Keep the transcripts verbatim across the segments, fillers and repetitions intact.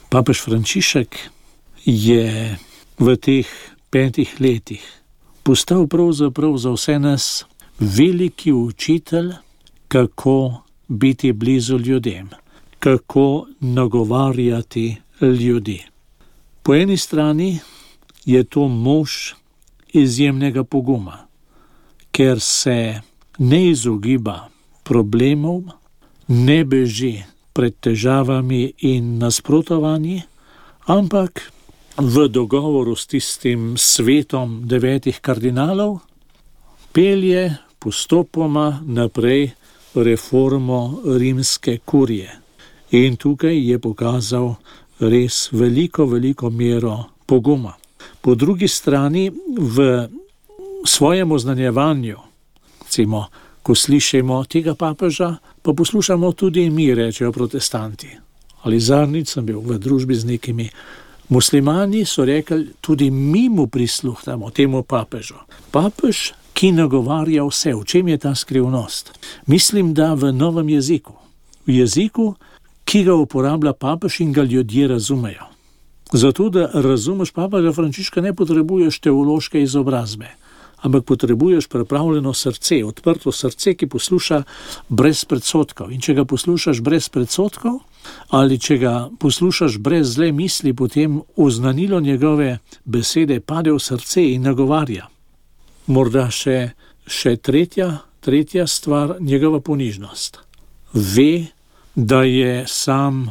Papež Frančišek je v teh petih letih postal pravzaprav za vse nas veliki učitelj, kako biti blizu ljudem, kako nagovarjati ljudi. Po eni strani je to mož izjemnega poguma, ker se ne izogiba problemov, ne beži pred težavami in nasprotovanji, ampak v dogovoru s tistim svetom devetih kardinalov pelje postopoma naprej reformo rimske kurije. In tukaj je pokazal res veliko, veliko mero poguma. Po drugi strani v svojem oznanjevanju, recimo, ko slišimo tega papeža, pa poslušamo tudi mi, rečejo protestanti. Ali zadnjič sem bil v družbi z nekimi muslimani, so rekli, tudi mi mu prisluhnemo, temu papežu. Papež, ki nagovarja vse, v čem je ta skrivnost? Mislim, da v novem jeziku. V jeziku, ki ga uporablja papež in ga ljudje razumejo. Zato, da razumeš papeža Frančiška, ne potrebuješ teološke izobrazbe, ampak potrebuješ pripravljeno srce, odprto srce, ki posluša brez predsodkov. In če ga poslušaš brez predsodkov, ali če ga poslušaš brez zle misli, potem oznanilo njegove besede pade v srce in nagovarja. Morda še, še tretja, tretja stvar, njegova ponižnost. Ve, da je sam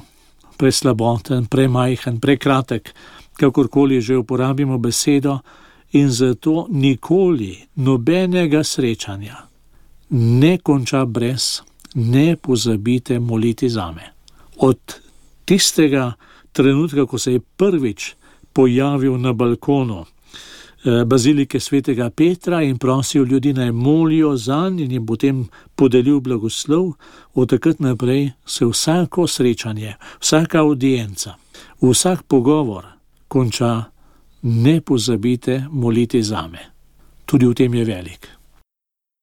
preslaboten, premajhen, prekratek, kakorkoli že uporabimo besedo, in zato nikoli nobenega srečanja ne konča brez ne pozabite moliti zame. Od tistega trenutka, ko se je prvič pojavil na balkonu bazilike svetega Petra in prosil ljudi naj molijo zanj in jim potem podelil blagoslov, od takrat naprej se vsako srečanje, vsaka audienca, vsak pogovor konča ne pozabite moliti zame. Tudi v tem je velik.